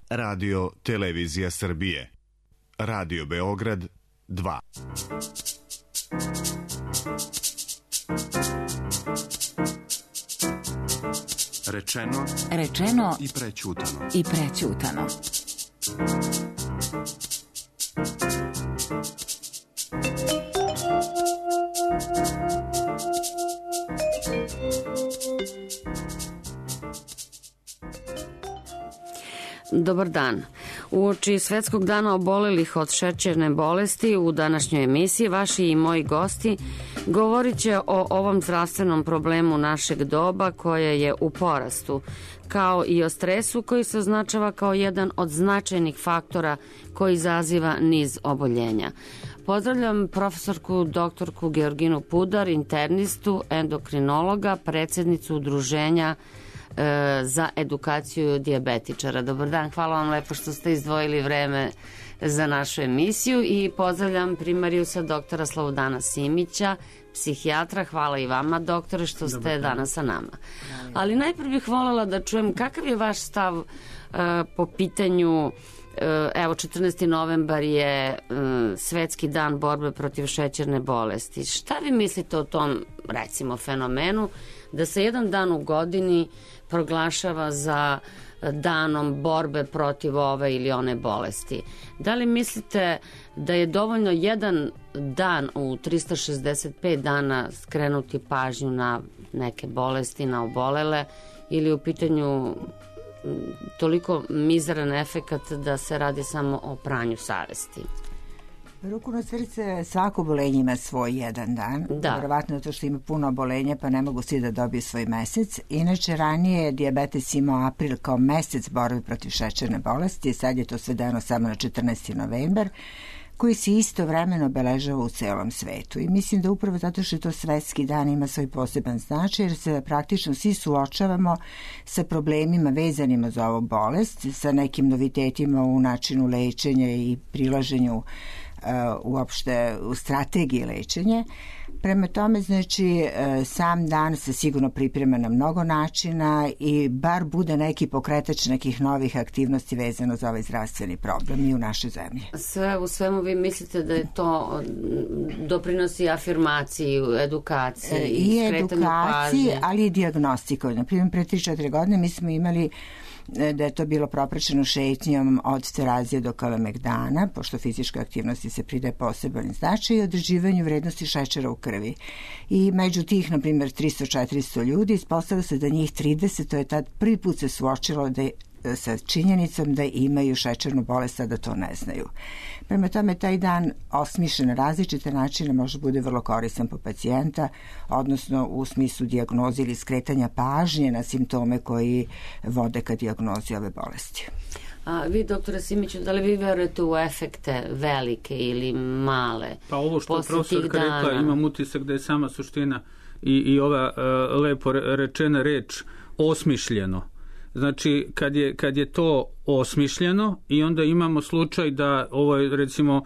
Radio Televizija Srbije. Radio Beograd 2. Rečeno i prećutano. Dobar dan. Uoči Svetskog dana obolelih od šećerne bolesti u današnjoj emisiji vaši i moji gosti govorit će o ovom zdravstvenom problemu našeg doba koje je u porastu, kao i o stresu koji se označava kao jedan od značajnih faktora koji izaziva niz oboljenja. Pozdravljam profesorku doktorku Georginu Pudar, internistu, endokrinologa, predsjednicu udruženja za edukaciju dijabetičara. Dobar dan, hvala vam lepo što ste izdvojili vreme za našu emisiju i pozdravljam primarijusa doktora Slobodana Simića, psihijatra. Hvala i vama, doktore, što ste danas sa nama. Ali najprije bih voljela da čujem kakav je vaš stav po pitanju, evo 14. novembar je Svetski dan borbe protiv šećerne bolesti. Šta vi mislite o tom, recimo, fenomenu da se jedan dan u godini proglašava za danom borbe protiv ove ili one bolesti? Da li mislite da je dovoljno jedan dan u 365 dana skrenuti pažnju na neke bolesti, na obolele, ili u pitanju toliko mizeran efekat da se radi samo o pranju savesti? Ruku na srce, svako obolenje ima svoj jedan dan. Da. Verovatno to što ima puno obolenja, pa ne mogu svi da dobiju svoj mesec. Inače, ranije je dijabetes imao april kao mesec borbe protiv šećerne bolesti, sad je to svedeno samo na 14. novembar, koji se istovremeno obeležava u celom svetu. I mislim da upravo zato što je to svetski dan ima svoj poseban značaj, jer se praktično svi suočavamo sa problemima vezanima za ovu bolest, sa nekim novitetima u načinu lečenja i prilaženju uopšte u strategiji lečenja. Prema tome, znači, sam dan se sigurno priprema na mnogo načina i bar bude neki pokretač nekih novih aktivnosti vezano za ovaj zdravstveni problem i u našoj zemlji. Sve u svemu vi mislite da je to doprinosi afirmaciji, edukaciji i skretanju pažnje? Ali i dijagnostiku. Na primjer, pre 3-4 godine mi smo imali da je to bilo propraćeno šetnjom od terazije do kalemegdana, pošto fizičkoj aktivnosti se pridaje poseban značaj, i određivanju vrednosti šećera u krvi. I među tih, na primjer, 300-400 ljudi, ispostavilo se da njih 30, to je tad prvi put se suočilo da sa činjenicom da imaju šećernu bolest, a da to ne znaju. Prema tome, taj dan osmišljen na različite načine može bude vrlo koristan po pacijenta, odnosno u smislu dijagnoze ili skretanja pažnje na simptome koji vode ka dijagnozi ove bolesti. A vi, doktore Simiću, da li vi verujete u efekte velike ili male? Pa ovo što je profesorka rekla, imam utisak da je sama suština i ova lepo rečena reč osmišljeno. Znači, kad je to osmišljeno i onda imamo slučaj da ovo je, recimo,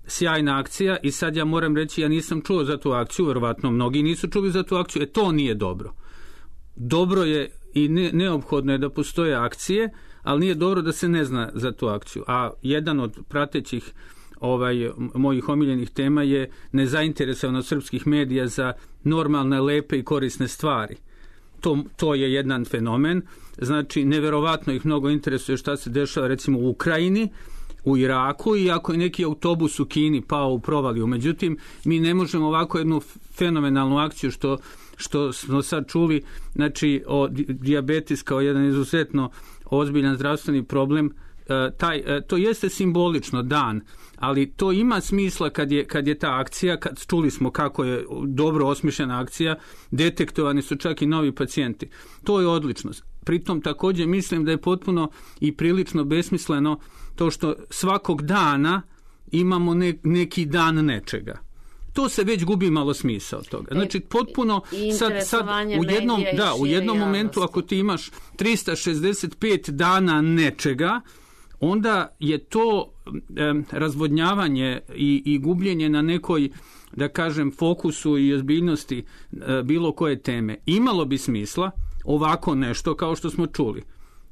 sjajna akcija i sad ja moram reći, ja nisam čuo za tu akciju, verovatno mnogi nisu čuli za tu akciju, to nije dobro. Dobro je i neophodno je da postoje akcije, ali nije dobro da se ne zna za tu akciju. A jedan od pratećih mojih omiljenih tema je nezainteresovanost srpskih medija za normalne, lepe i korisne stvari. To je jedan fenomen. Znači, neverovatno ih mnogo interesuje šta se dešava, recimo, u Ukrajini, u Iraku, i ako je neki autobus u Kini pao u provaliju. Međutim, mi ne možemo ovako jednu fenomenalnu akciju što smo sad čuli, znači, o dijabetes kao jedan izuzetno ozbiljan zdravstveni problem. To jeste simbolično dan, ali to ima smisla kad je ta akcija, čuli smo kako je dobro osmišljena akcija, detektovani su čak i novi pacijenti. To je odlično. Pritom također mislim da je potpuno i prilično besmisleno to što svakog dana imamo neki dan nečega. To se već gubi malo smisao od toga. Znači, potpuno sad u jednom momentu ako ti imaš 365 dana nečega, onda je to razvodnjavanje i gubljenje na nekoj, da kažem, fokusu i ozbiljnosti bilo koje teme. Imalo bi smisla ovako nešto kao što smo čuli.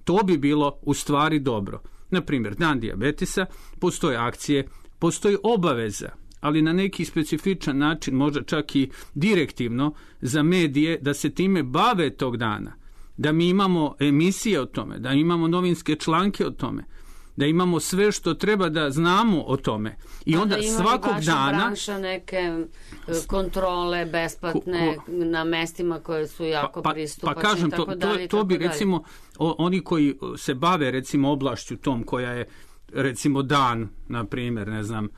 To bi bilo u stvari dobro. na primjer, dan dijabetesa, postoje akcije, postoji obaveza, ali na neki specifičan način, možda čak i direktivno za medije, da se time bave tog dana, da mi imamo emisije o tome, da imamo novinske članke o tome, da imamo sve što treba da znamo o tome. I onda da svakog dana branša neke kontrole besplatne na mestima koje su jako pristupačne. Pa kažem, to bi recimo oni koji se bave recimo oblašću tom koja je recimo dan, na primjer, ne znam,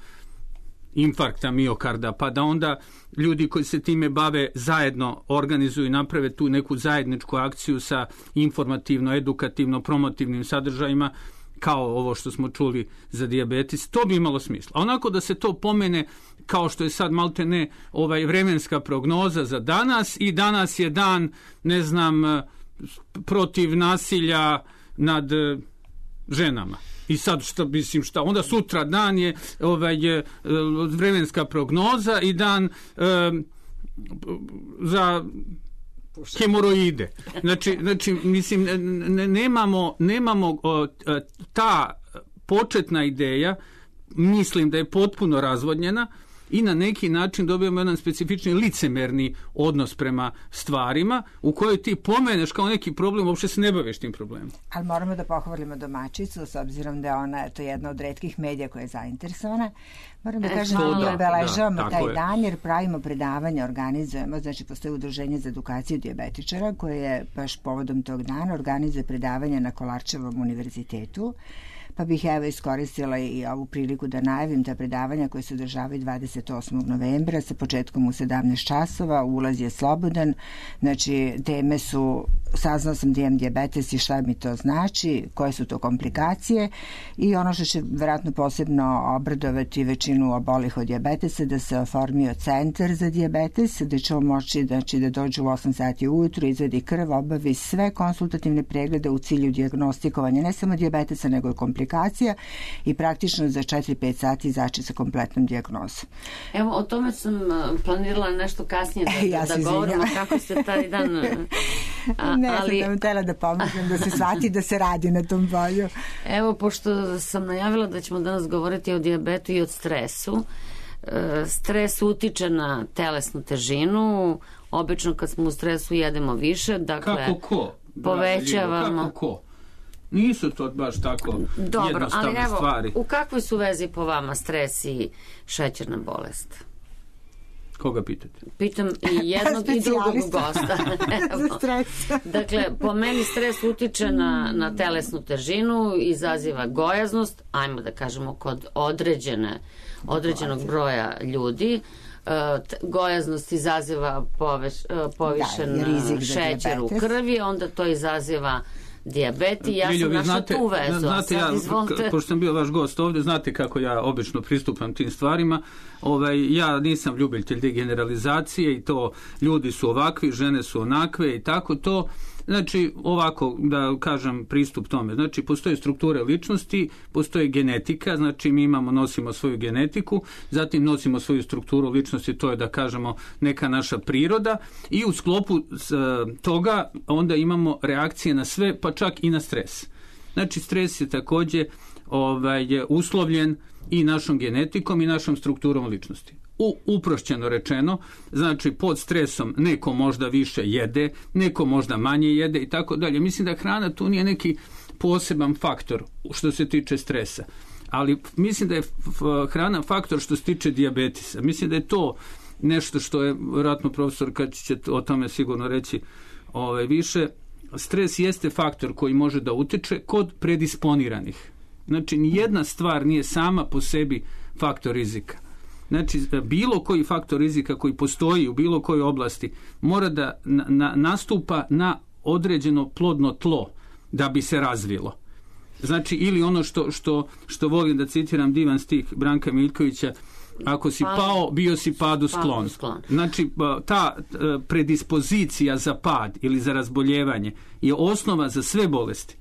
infarkta miokarda, pa da onda ljudi koji se time bave zajedno organizuju i naprave tu neku zajedničku akciju sa informativno, edukativno, promotivnim sadržajima, kao ovo što smo čuli za dijabetes, to bi imalo smisla. A onako da se to pomene kao što je sad maltene vremenska prognoza za danas i danas je dan, ne znam, protiv nasilja nad ženama. I sad šta, onda sutra dan je vremenska prognoza i dan za hemoroide. Znači mislim, nemamo ta početna ideja, mislim da je potpuno razvodnjena i na neki način dobijamo jedan specifični licemerni odnos prema stvarima u kojoj ti pomeneš kao neki problem, uopšte se ne baviš tim problemom. Ali moramo da pohvalimo domaćicu, s obzirom da je ona jedna od retkih medija koja je zainteresovana. Moram da kažem da obeležavamo taj dan jer pravimo predavanja, organizujemo, znači postoji udruženje za edukaciju dijabetičara koje je baš povodom tog dana organizuje predavanja na Kolarčevom univerzitetu. Pa bih evo iskoristila i ovu priliku da najavim ta predavanja koje se održavaju 28. novembra sa početkom u 17 časova, ulaz je slobodan, znači teme su, saznao sam da imam dijabetes i šta mi to znači, koje su to komplikacije i ono što će vjerojatno posebno obradovati većinu obolih od dijabetesa, da se oformio centar za dijabetes, da će moći da dođu u 8 sati ujutru, izvedi krv, obavi sve konsultativne preglede u cilju dijagnostikovanja ne samo dijabetesa nego i komplikacija i praktično za 4-5 sati izaći sa kompletnom dijagnozom. Evo, o tome sam planirala nešto kasnije da govorimo kako se taj dan... ali sam htjela da pomognem, da se shvati da se radi na tom polju. Evo, pošto sam najavila da ćemo danas govoriti o dijabetu i o stresu, stres utiče na telesnu težinu, obično kad smo u stresu jedemo više, dakle... Kako ko? Povećavamo... Kako ko? Nisu to baš tako jednostavne stvari. Dobro, ali evo, u kakvoj su vezi po vama stres i šećerna bolest? Koga pitate? Pitam i jednog i drugog gosta. Dakle, po meni stres utiče na telesnu težinu, izaziva gojaznost, ajmo da kažemo kod određenog broja ljudi. Gojaznost izaziva povišen šećer u krvi, onda to izaziva dijabet i ja sam našla tu vezu. Znate, pošto sam bio vaš gost ovdje, znate kako ja obično pristupam tim stvarima. Ja nisam ljubitelj te generalizacije i to ljudi su ovakvi, žene su onakve i tako to. Znači, ovako da kažem pristup tome. Znači, postoje strukture ličnosti, postoje genetika, znači mi nosimo svoju genetiku, zatim nosimo svoju strukturu ličnosti, to je da kažemo neka naša priroda i u sklopu toga onda imamo reakcije na sve, pa čak i na stres. Znači, stres je također uslovljen i našom genetikom i našom strukturom ličnosti. Uprošćeno rečeno, znači pod stresom neko možda više jede, neko možda manje jede i tako dalje. Mislim da hrana tu nije neki poseban faktor što se tiče stresa, ali mislim da je hrana faktor što se tiče dijabetesa. Mislim da je to nešto što je, vjerojatno profesor kad će o tome sigurno reći više, stres jeste faktor koji može da utiče kod predisponiranih. Znači, nijedna stvar nije sama po sebi faktor rizika. Znači, bilo koji faktor rizika koji postoji u bilo kojoj oblasti mora da nastupa na određeno plodno tlo da bi se razvilo. Znači, ili ono što volim da citiram divan stih Branka Miljkovića, ako si pao, bio si padu sklon. Znači, ta predispozicija za pad ili za razboljevanje je osnova za sve bolesti.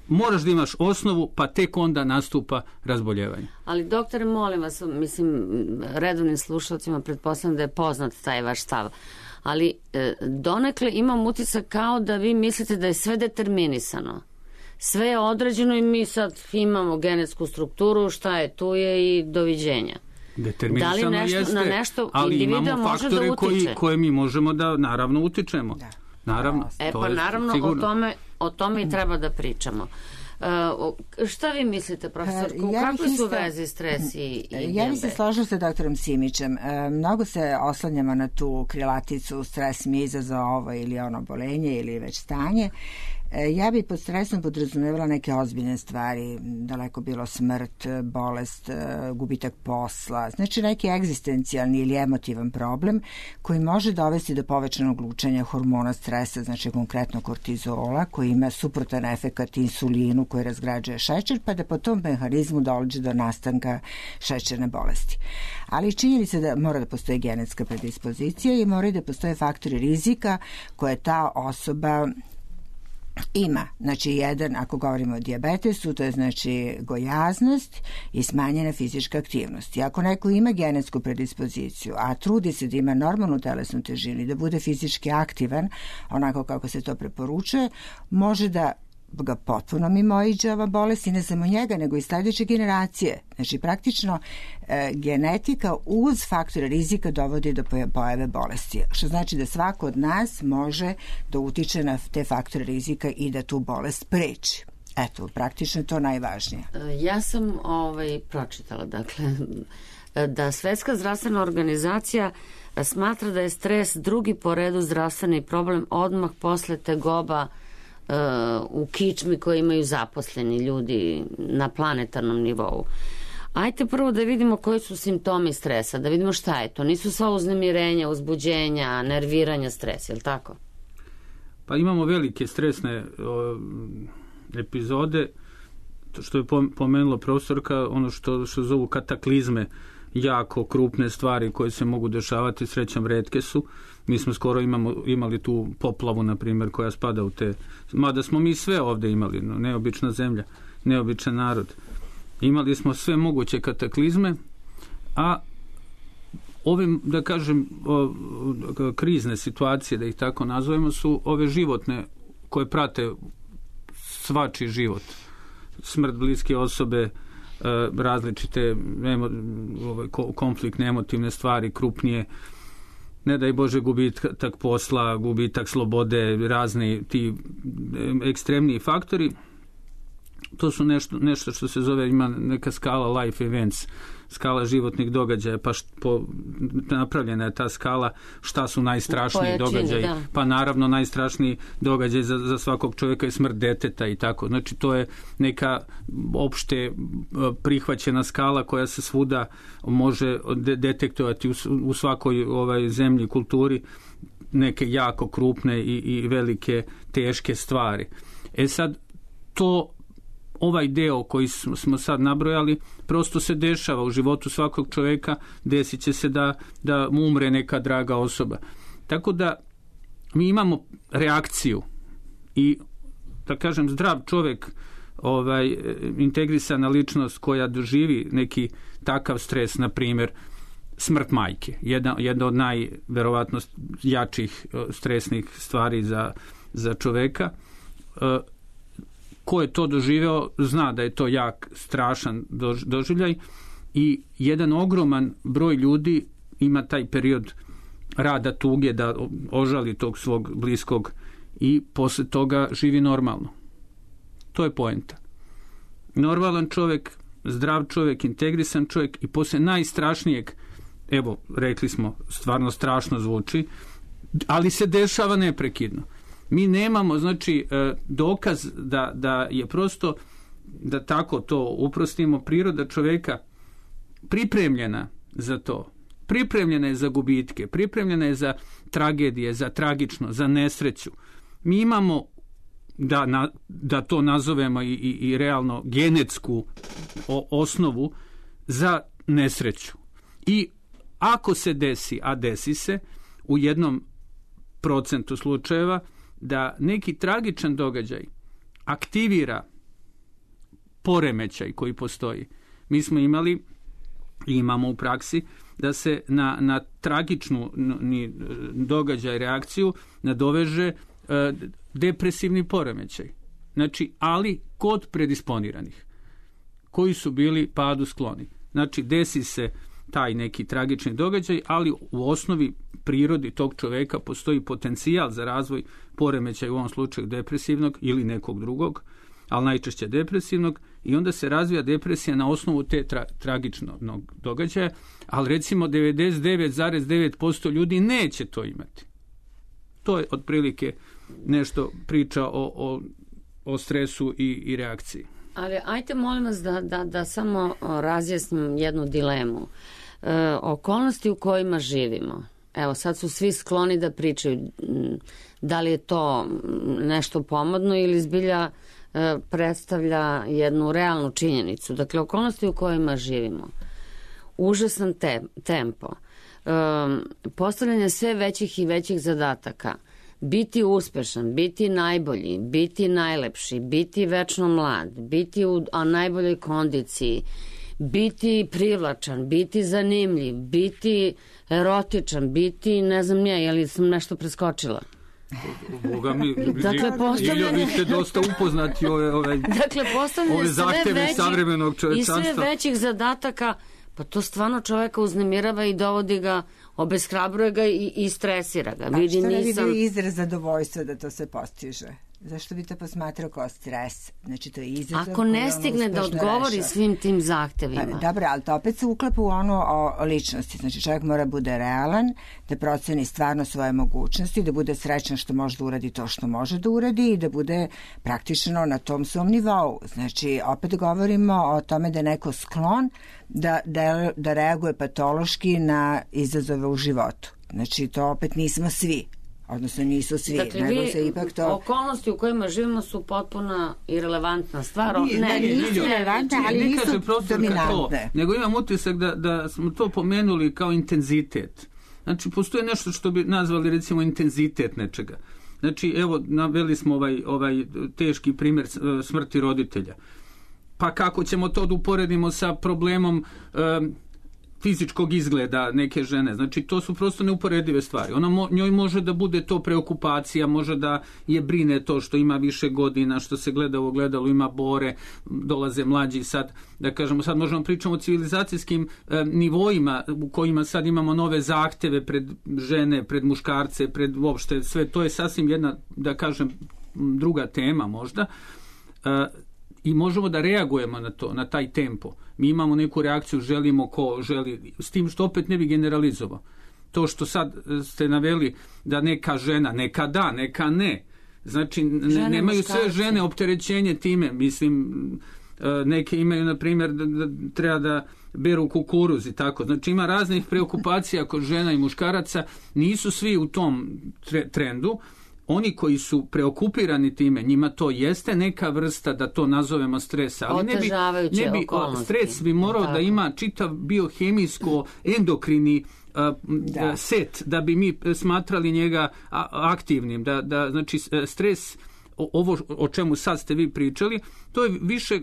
Moraš da imaš osnovu, pa tek onda nastupa razboljevanje. Ali doktore, molim vas, mislim, redovnim slušalcima pretpostavljam da je poznat taj vaš stav, ali donekle imam utisak kao da vi mislite da je sve determinisano. sve je određeno i mi sad imamo genetsku strukturu, šta je tu je i doviđenja. Da li na nešto individua može da utiče? Koje mi možemo da naravno utičemo. Da. Naravno. Naravno, o tome i treba da pričamo. Šta vi mislite, profesor? Kako su veze stres i DNB? Ja bih se složila sa doktorom Simićem. Mnogo se oslanjamo na tu krilaticu stres mi izazvao ovo ili ono obolenje ili već stanje. Ja bih pod stresom podrazumevala neke ozbiljne stvari, daleko bilo smrt, bolest, gubitak posla, znači neki egzistencijalni ili emotivan problem koji može dovesti do povećanog lučenja hormona stresa, znači konkretno kortizola, koji ima suprotan efekat insulinu koji razgrađuje šećer, pa da po tom mehanizmu dođe do nastanka šećerne bolesti. Ali činjenica da mora da postoji genetska predispozicija i mora da postoje faktori rizika koje ta osoba ima. Znači, jedan, ako govorimo o dijabetesu, to je znači gojaznost i smanjena fizička aktivnost. I ako neko ima genetsku predispoziciju, a trudi se da ima normalnu telesnu težinu i da bude fizički aktivan, onako kako se to preporučuje, može da ga potpuno mimoiđe ova bolest i ne samo njega, nego i sledeće generacije. Znači, praktično genetika uz faktore rizika dovodi do pojave bolesti. Što znači da svako od nas može da utiče na te faktore rizika i da tu bolest spreči. Eto, praktično je to najvažnije. Ja sam pročitala, dakle, da Svetska zdravstvena organizacija smatra da je stres drugi po redu zdravstveni problem odmah posle tegoba u kičmi koje imaju zaposleni ljudi na planetarnom nivou. Ajte prvo da vidimo koji su simptomi stresa, da vidimo šta je to. Nisu sva uznemirenja, uzbuđenja, nerviranja, stres, je li tako? Pa imamo velike stresne epizode, što je pomenula profesorka, ono što zovu kataklizme, jako krupne stvari koje se mogu dešavati, srećom retke su. Mi smo skoro imali tu poplavu, na primjer, koja spada u te... Mada smo mi sve ovde imali, neobična zemlja, neobičan narod. Imali smo sve moguće kataklizme, a ovim, da kažem, krizne situacije, da ih tako nazovemo, su ove životne koje prate svačiji život. Smrt bliske osobe, različite konfliktne emotivne stvari, krupnije, ne daj Bože gubitak posla, gubitak slobode, razni ti ekstremniji faktori. To su nešto što se zove, ima neka skala life events, skala životnih događaja, pa napravljena je ta skala šta su najstrašniji događaji. Da. Pa naravno najstrašniji događaj za svakog čovjeka je smrt deteta i tako. Znači to je neka opšte prihvaćena skala koja se svuda može detektovati u svakoj zemlji, kulturi, neke jako krupne i velike teške stvari. Sad ovaj deo koji smo sad nabrojali prosto se dešava u životu svakog čovjeka, desit će se da mu umre neka draga osoba. Tako da mi imamo reakciju i, da kažem, zdrav čovjek, integrisana ličnost koja doživi neki takav stres, na primjer smrt majke, jedna od najverovatno jačih stresnih stvari za čovjeka. Ko je to doživeo zna da je to jak, strašan doživljaj i jedan ogroman broj ljudi ima taj period rada tuge da ožali tog svog bliskog i posle toga živi normalno. To je poenta. Normalan čovjek, zdrav čovjek, integrisan čovjek i posle najstrašnijeg, evo, rekli smo, stvarno strašno zvuči, ali se dešava neprekidno. Mi nemamo, znači, dokaz da je prosto, da tako to uprostimo, priroda čovjeka pripremljena za to. Pripremljena je za gubitke, pripremljena je za tragedije, za tragično, za nesreću. Mi imamo, da to nazovemo i realno genetsku osnovu za nesreću. I ako se desi, a desi se, u 1% slučajeva, da neki tragičan događaj aktivira poremećaj koji postoji. Mi smo imali i imamo u praksi da se na tragičnu događaj, reakciju nadoveže depresivni poremećaj. Znači, ali kod predisponiranih koji su bili padu skloni. Znači, desi se taj neki tragični događaj, ali u osnovi prirodi tog čoveka postoji potencijal za razvoj poremećaja, u ovom slučaju depresivnog ili nekog drugog, ali najčešće depresivnog, i onda se razvija depresija na osnovu te tragičnog događaja, ali recimo 99,9% ljudi neće to imati. To je otprilike nešto priča o stresu i reakciji. Ali ajte molim vas da samo razjasnim jednu dilemu. Okolnosti u kojima živimo. Evo, sad su svi skloni da pričaju da li je to nešto pomodno ili zbilja predstavlja jednu realnu činjenicu. Dakle, okolnosti u kojima živimo. Užasan tempo. Postavljanje sve većih i većih zadataka. Biti uspešan, biti najbolji, biti najlepši, biti večno mlad, biti u najboljoj kondiciji, biti privlačan, biti zanimljiv, biti erotičan, biti, ne znam ja, je li sam nešto preskočila? Boga mi, dakle, vi ste dosta upoznati ove zahteve savremenog čovečanstva. I sve većih zadataka, pa to stvarno čoveka uznemirava i dovodi ga, obeshrabruje ga i stresira ga. A što ne bi bio izraz zadovoljstva da to se postiže? Zašto bi to posmatrao kao stres? Znači, to je izazov. Ako ne stigne da odgovori svim tim zahtevima. Dobro, ali to opet se uklapa u ono o ličnosti. Znači, čovjek mora bude realan, da proceni stvarno svoje mogućnosti, da bude srećan što može da uradi to što može da uradi i da bude praktično na tom svom nivou. Znači, opet govorimo o tome da je neko sklon da reaguje patološki na izazove u životu. Znači, to opet nismo svi. Odnosno nisu svi. Dakle, okolnosti u kojima živimo su potpuno irelevantna stvar. Nisu irelevantne, ali nisu dominantne. Nego imam utisak da smo to pomenuli kao intenzitet. Znači, postoje nešto što bi nazvali recimo intenzitet nečega. Znači, evo, naveli smo ovaj teški primjer smrti roditelja. Pa kako ćemo to da uporedimo sa problemom fizičkog izgleda neke žene. Znači, to su prosto neuporedive stvari. Njoj može da bude to preokupacija, može da je brine to što ima više godina, što se gleda u ogledalu, ima bore, dolaze mlađi sad, da kažemo, sad možemo pričamo o civilizacijskim nivoima u kojima sad imamo nove zahteve pred žene, pred muškarce, pred uopšte sve. To je sasvim jedna, da kažem, druga tema možda. I možemo da reagujemo na to, na taj tempo. Mi imamo neku reakciju, želimo ko želi, s tim što opet ne bi generalizovao. To što sad ste naveli da neka žena, neka da, neka ne. Znači, nemaju sve žene opterećenje time. Mislim, neke imaju, na primjer, da treba da beru kukuruz i tako. Znači, ima raznih preokupacija kod žena i muškaraca. Nisu svi u tom trendu. Oni koji su preokupirani time, njima to jeste neka vrsta, da to nazovemo stresa, ali ne bi stres bi morao da ima čitav biohemijsko endokrini set da bi mi smatrali njega aktivnim, da znači stres, ovo o čemu sad ste vi pričali, to je više,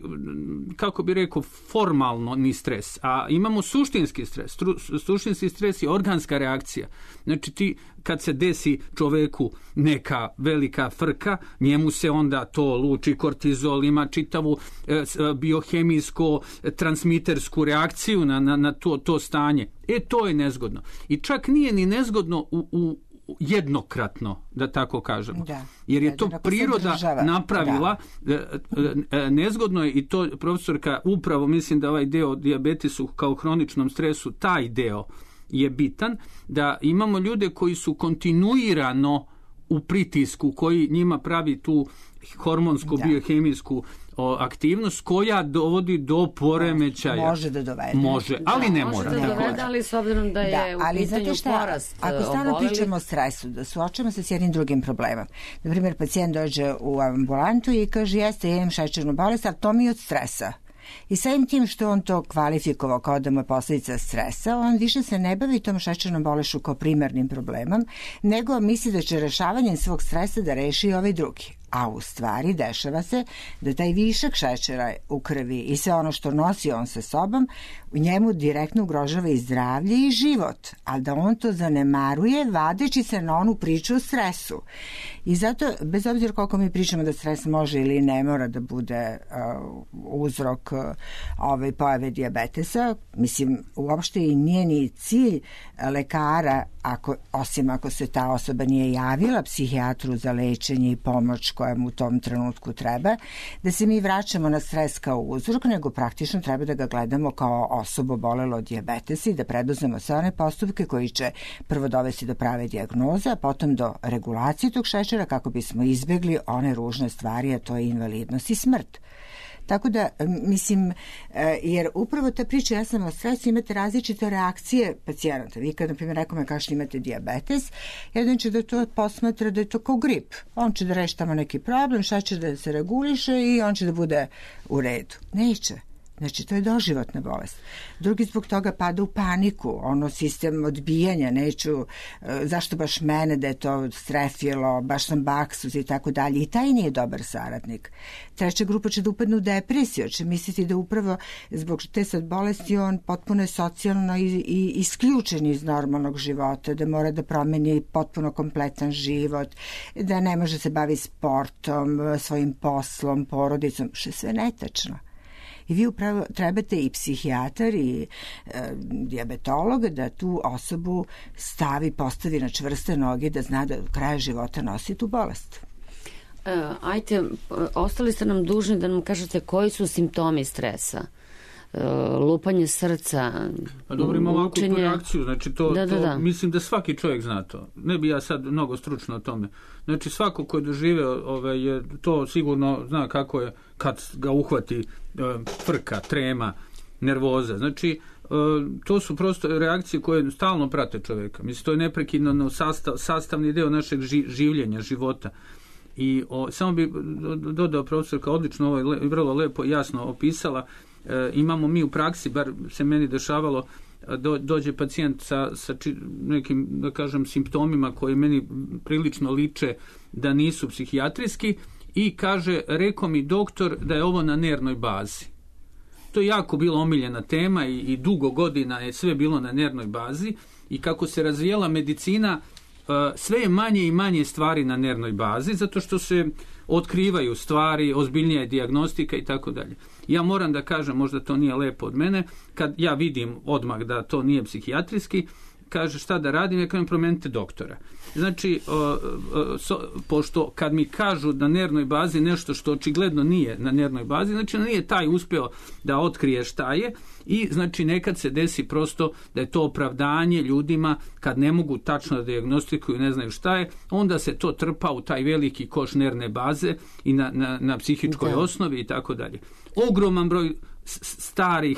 kako bi rekao, formalno ni stres, a imamo suštinski stres. Suštinski stres je organska reakcija. Znači, ti kad se desi čoveku neka velika frka, njemu se onda to luči kortizol, ima čitavu biohemijsko transmitersku reakciju na to stanje. To je nezgodno. I čak nije ni nezgodno u jednokratno, da tako kažem. Jer je to priroda napravila. Nezgodno je, i to profesorka upravo, mislim da ovaj deo o dijabetesu kao hroničnom stresu, taj deo je bitan, da imamo ljude koji su kontinuirano u pritisku, koji njima pravi tu hormonsku, biohemijsku aktivnost koja dovodi do poremećaja. Može da dovede. Može, ali ne mora. Može da dovede, ali s obzirom da je u pitanju porast ako stvarno pričamo o stresu, da suočamo se s jednim drugim problemom. Na primjer, pacijent dođe u ambulantu i kaže, jeste, ja imam šećernu bolest, ali to mi je od stresa. I samim tim što on to kvalifikovao kao da mu je posljedica stresa, on više se ne bavi tom šećernom bolešću kao primarnim problemom, nego misli da će rešavanjem svog stresa da reši ovaj drugi. A u stvari dešava se da taj višak šećera u krvi i sve ono što nosi on sa sobom u njemu direktno ugrožava i zdravlje i život, ali da on to zanemaruje vadeći se na onu priču o stresu. I zato, bez obzira koliko mi pričamo da stres može ili ne mora da bude uzrok pojave dijabetesa, mislim, uopšte i nije ni cilj lekara, osim ako se ta osoba nije javila psihijatru za lečenje i pomoć koja mu u tom trenutku treba, da se mi vraćamo na stres kao uzrok, nego praktično treba da ga gledamo kao osobu obolelo od dijabetesa i da preduzmemo sve one postupke koji će prvo dovesti do prave dijagnoze, a potom do regulacije tog šećera kako bismo izbjegli one ružne stvari, a to je invalidnost i smrt. Tako da, mislim, jer upravo ta priča, ja sam o stresu, imate različite reakcije pacijenata. Vi kad, na primjer, nekome kažete imate dijabetes, jedan će da to posmatra da je to kao grip. On će da reši tamo neki problem, šećer da se reguliše i on će da bude u redu. Neće. Znači, to je doživotna bolest. Drugi zbog toga pada u paniku, sistem odbijanja, zašto baš mene, da je to strefilo, baš sam baksuz i tako dalje. I taj nije dobar saradnik. Treća grupa će da upadne u depresiju, će misliti da upravo zbog te sad bolesti on potpuno je socijalno i isključen iz normalnog života, da mora da promeni potpuno kompletan život, da ne može se baviti sportom, svojim poslom, porodicom, što je sve netačno. I vi upravo trebate i psihijatar i dijabetolog da tu osobu postavi na čvrste noge, da zna da do kraja života nosi tu bolest. Ajte, ostali ste nam dužni da nam kažete koji su simptomi stresa. Lupanje srca, pa dobro, ima ovakvu reakciju, znači to mislim da svaki čovjek zna to. Ne bi ja sad mnogo stručno o tome. Znači svako ko je doživeo to sigurno zna kako je kad ga uhvati frka, trema, nervoza. Znači to su prosto reakcije koje stalno prate čovjeka. Mislim, to je neprekidno sastavni deo našeg življenja, života. I samo bi dodao profesorka odlično ovo je vrlo lepo jasno opisala. Imamo mi u praksi, bar se meni dešavalo, dođe pacijent sa nekim, da kažem, simptomima koji meni prilično liče da nisu psihijatrijski i kaže, rekao mi doktor da je ovo na nervnoj bazi. To je jako bila omiljena tema i dugo godina je sve bilo na nervnoj bazi i kako se razvijela medicina, sve je manje i manje stvari na nervnoj bazi, zato što se otkrivaju stvari, ozbiljnija je dijagnostika i tako dalje. Ja moram da kažem, možda to nije lepo od mene, kad ja vidim odmah da to nije psihijatrijski, kaže šta da radim, ja kažem promenite doktora. Znači, pošto kad mi kažu na nervnoj bazi nešto što očigledno nije na nervnoj bazi, znači nije taj uspeo da otkrije šta je i znači nekad se desi prosto da je to opravdanje ljudima kad ne mogu tačno da dijagnostikuju, ne znaju šta je, onda se to trpa u taj veliki koš nervne baze i na psihičkoj osnovi i tako dalje. Ogroman broj starih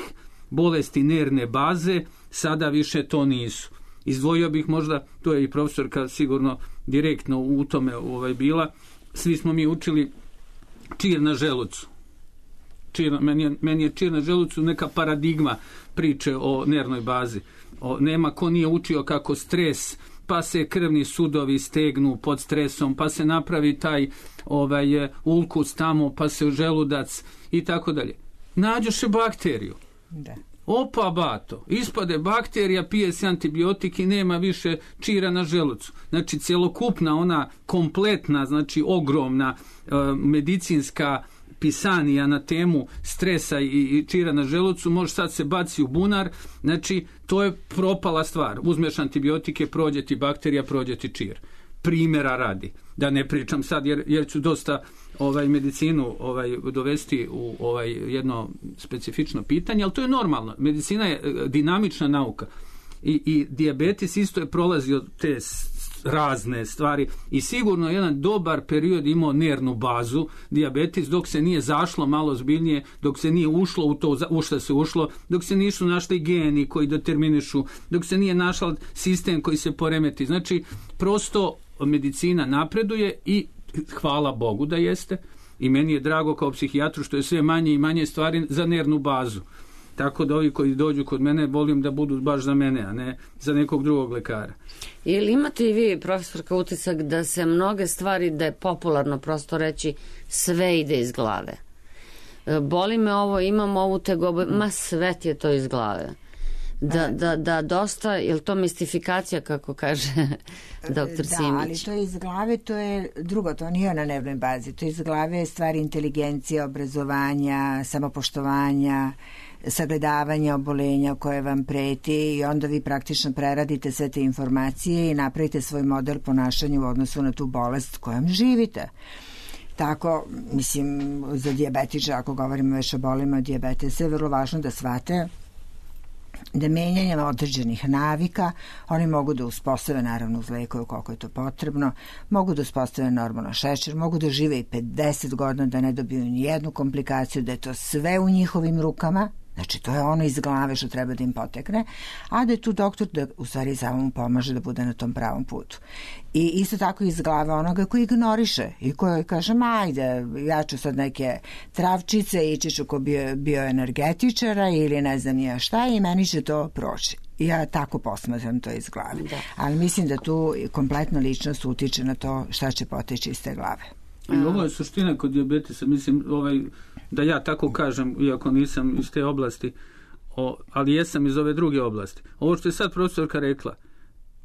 bolesti nervne baze sada više to nisu. Izdvojio bih možda, to je i profesorka sigurno direktno u tome bila, svi smo mi učili čir na želucu. Meni je čir na želucu neka paradigma priče o nervnoj bazi. Nema ko nije učio kako stres, pa se krvni sudovi stegnu pod stresom, pa se napravi taj ulkus tamo, pa se želudac i tako dalje. Nađoše bakteriju. Da. Opa bato, ispade bakterija, pije se antibiotik i nema više čira na želucu. Znači, cjelokupna ona kompletna, znači ogromna medicinska pisanija na temu stresa i čira na želucu može sad se baci u bunar, znači to je propala stvar. Uzmeš antibiotike, prođe ti bakterija, prođe ti čir. Primjera radi. Da ne pričam sad jer ću dosta medicinu dovesti u jedno specifično pitanje, ali to je normalno. Medicina je dinamična nauka i dijabetes isto je prolazio te razne stvari i sigurno jedan dobar period imao nervnu bazu dijabetes dok se nije zašlo malo zbiljnije, dok se nije ušlo u to u što se ušlo, dok se nisu našli geni koji determinišu, dok se nije našao sistem koji se poremeti. Znači, prosto medicina napreduje i hvala Bogu da jeste i meni je drago kao psihijatru što je sve manje i manje stvari za nervnu bazu. Tako da ovi koji dođu kod mene volim da budu baš za mene, a ne za nekog drugog lekara. Ili imate i vi, profesorka, utisak da se mnoge stvari, da je popularno prosto reći, sve ide iz glave? Boli me ovo, imam ovu tegobu, ma sve ti je to iz glave. Da dosta, je li to mistifikacija, kako kaže doktor Simić? Da, ali to iz glave, to je drugo, to nije na dnevnoj bazi. To iz glave je stvar inteligencije, obrazovanja, samopoštovanja, sagledavanja obolenja koje vam preti i onda vi praktično preradite sve te informacije i napravite svoj model ponašanja u odnosu na tu bolest kojom živite. Tako, mislim, za dijabetiča, ako govorimo već o bolima dijabetesa, je vrlo važno da shvate da menjanjem određenih navika oni mogu da uspostave, naravno uz lekove koliko je to potrebno, mogu da uspostave normalno šećer, mogu da žive i 50 godina, da ne dobiju ni jednu komplikaciju, da je to sve u njihovim rukama. Znači, to je ono iz glave što treba da im potekne, a da je tu doktor da u stvari samo mu pomaže da bude na tom pravom putu. I isto tako iz glave onoga koji ignoriše i koji kaže, ajde, ja ću sad neke travčice, ići ću ko bioenergetičara ili ne znam ja šta i meni će to proći. Ja tako posmatram to iz glave. Da. Ali mislim da tu kompletna ličnost utiče na to šta će poteći iz te glave. I ovo je suština kod dijabetesa, mislim, da ja tako kažem, iako nisam iz te oblasti, ali jesam iz ove druge oblasti. Ovo što je sad profesorka rekla,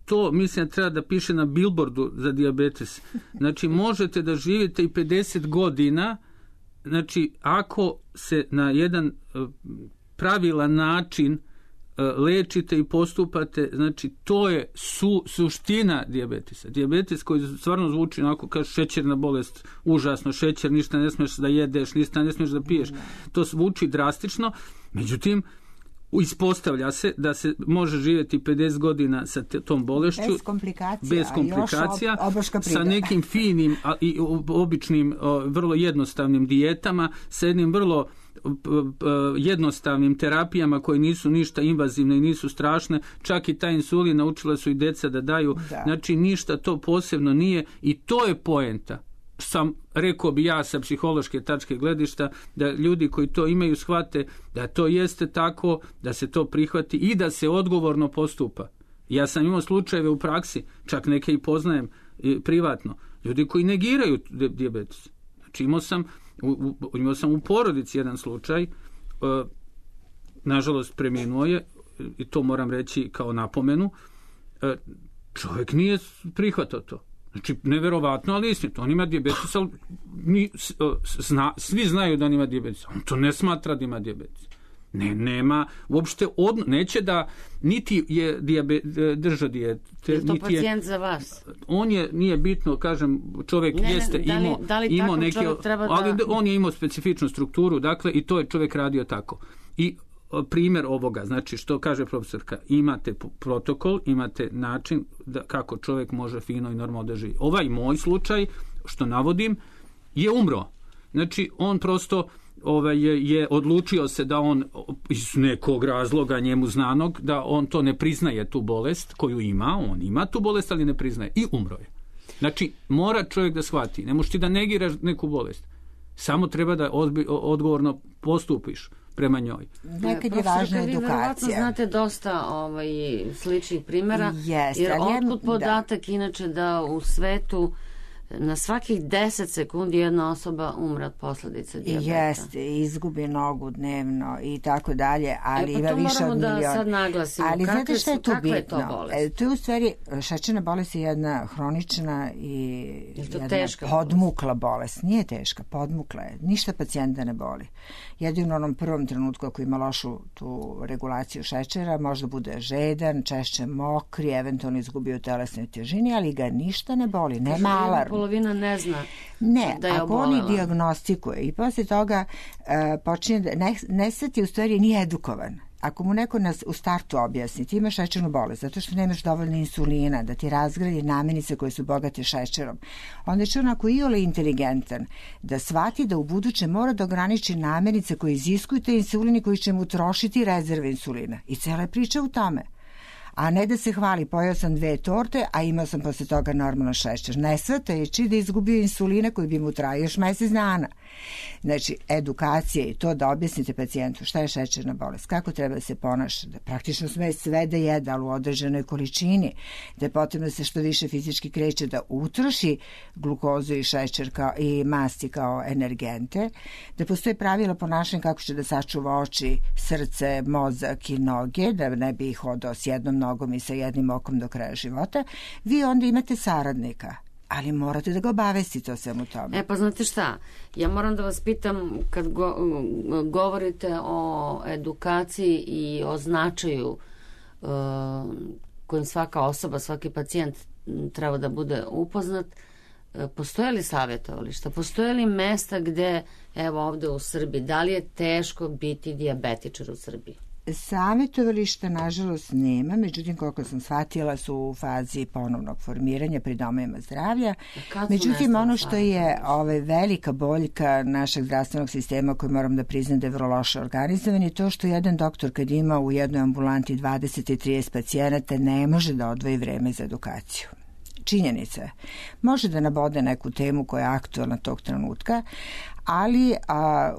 to mislim da treba da piše na billboardu za dijabetes. Znači, možete da živite i 50 godina, znači, ako se na jedan pravilan način lečite i postupate, znači to je suština dijabetesa. Dijabetes koji stvarno zvuči onako kao šećerna bolest, užasno šećer, ništa ne smiješ da jedeš, ništa ne smiješ da piješ. To zvuči drastično, međutim ispostavlja se da se može živjeti 50 godina sa tom bolešću bez komplikacija sa nekim finim i običnim, vrlo jednostavnim dijetama, sa jednim vrlo jednostavnim terapijama koje nisu ništa invazivne i nisu strašne, čak i taj insulin naučila su i deca da daju, znači ništa to posebno nije i to je poenta. Rekao bi ja sa psihološke tačke gledišta da ljudi koji to imaju shvate da to jeste tako, da se to prihvati i da se odgovorno postupa. Ja sam imao slučajeve u praksi, čak neke i poznajem privatno, ljudi koji negiraju dijabetes. Znači imao sam u porodici jedan slučaj, nažalost preminuo je, i to moram reći kao napomenu, čovjek nije prihvatao to. Znači, neverovatno, ali istinito. On ima dijabetes, ali svi znaju da on ima dijabetes. On to ne smatra da ima dijabetes. Nema, uopšte, neće da, niti je držao dijet. Je to pacijent za vas? On nije bitno, kažem, čovjek jeste imao neke, ali on je imao specifičnu strukturu, dakle, i to je čovjek radio tako. I primjer ovoga, znači što kaže profesorka, imate protokol, imate način kako čovjek može fino i normalno da živi. Ovaj moj slučaj, što navodim, je umro. Znači, on prosto je odlučio se da on iz nekog razloga njemu znanog, da on to ne priznaje tu bolest koju ima, on ima tu bolest, ali ne priznaje i umro je. Znači, mora čovjek da shvati, ne možeš ti da negiraš neku bolest, samo treba da odgovorno postupiš prema njoj. Nekad je važna edukacija. Vi verovatno znate dosta sličnih primjera, jer otkud podatak inače da u svetu na svakih 10 sekundi jedna osoba umre od posljedica dijabeta. Jeste, izgubi nogu dnevno i tako dalje, ali ima više od miliona. Da sad naglasimo, ali znate što je tu bitno? Je to bolest? To je u stvari, šećerna bolest je jedna hronična i jedna podmukla bolest. Nije teška, podmukla je. Ništa pacijenta ne boli. Jedino u onom prvom trenutku ako ima lošu tu regulaciju šećera, možda bude žedan, češće mokri, eventualno izgubio telesnoj težini, ali ga ništa ne boli, nema alarm. Polovina ne zna da je ako obolela. oni dijagnostikuje i poslije toga počinje da nesveti u stvari nije edukovan. Ako mu neko u startu objasni, ti imaš šećernu bolest zato što nemaš dovoljno insulina da ti razgradi namirnice koje su bogate šećerom, onda će onako iole inteligentan da shvati da u buduće mora da ograniči namirnice koje iziskuju te insulini koji će mu trošiti rezerve insulina. I cijela je priča u tome. A ne da se hvali, pojeo sam 2 torte, a imao sam posle toga normalno šećer. Ne shvatajući da izgubio insulina koji bi mu trajao još mjesec dana. Znači, edukacija i to da objasnite pacijentu šta je šećerna bolest, kako treba da se ponaša, da praktično sme sve da jede, ali u određenoj količini, da je potrebno da se što više fizički kreće, da utroši glukozu i šećer i masti kao energente, da postoje pravila ponašanja kako će da sačuva oči, srce, mozak i noge, da ne bi ih hodao s jednom nogom i sa jednim okom do kraja života, vi onda imate saradnika, ali morate da ga obavestite o svemu tome. Pa znate šta, ja moram da vas pitam, kad govorite o edukaciji i o značaju kojim svaka osoba, svaki pacijent treba da bude upoznat, postoje li savjetovališta, postoje li mesta gde, evo ovde u Srbiji, da li je teško biti dijabetičar u Srbiji? Savjetovališta nažalost nema, međutim koliko sam shvatila su u fazi ponovnog formiranja pri domovima zdravlja. Međutim ono što je velika boljka našeg zdravstvenog sistema koji moram da priznam da je vrlo loše organizovan je to što jedan doktor kad ima u jednoj ambulanti 20 i 30 pacijenata ne može da odvoji vreme za edukaciju. Činjenica. Može da nabode neku temu koja je aktualna tog trenutka, ali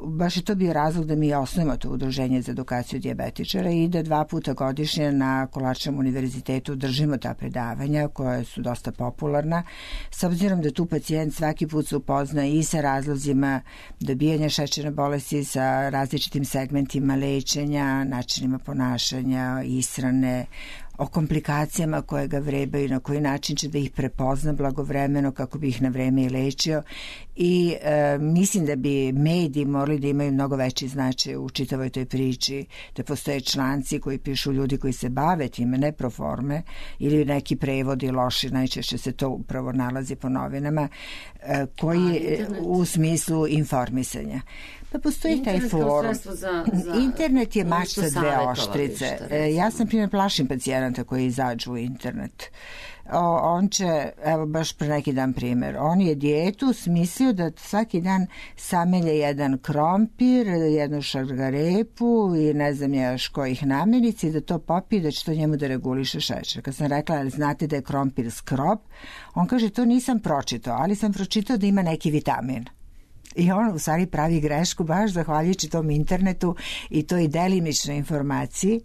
baš je to bio razlog da mi osnovimo to udruženje za edukaciju dijabetičara i da 2 puta godišnje na Kolarčevom univerzitetu držimo ta predavanja koja su dosta popularna, s obzirom da tu pacijent svaki put se upozna i sa razlozima dobijanja šećerne bolesti, sa različitim segmentima lečenja, načinima ponašanja, ishrane, o komplikacijama koje ga vrebaju, na koji način će da ih prepozna blagovremeno kako bi ih na vreme i lečio i mislim da bi mediji morali da imaju mnogo veći značaj u čitavoj toj priči, da postoje članci koji pišu ljudi koji se bave time, ne pro forme, ili neki prevodi loši, najčešće se to upravo nalazi po novinama, koji u smislu informisanja. Pa postoji taj forum. Internet je mač sa 2 oštrice. Ja sam primjer plašim pacijenata koji izađu u internet. On će, evo baš pre neki dan primjer, on je dijetu smislio da svaki dan samelje jedan krompir, jednu šargarepu i ne znam još kojih namirnica i da to popije, da će to njemu da reguliše šećer. Kad sam rekla, ali znate da je krompir skrob, on kaže, to nisam pročitao, ali sam pročitao da ima neki vitamin. I on u stvari pravi grešku baš zahvaljujući tom internetu i toj delimičnoj informaciji,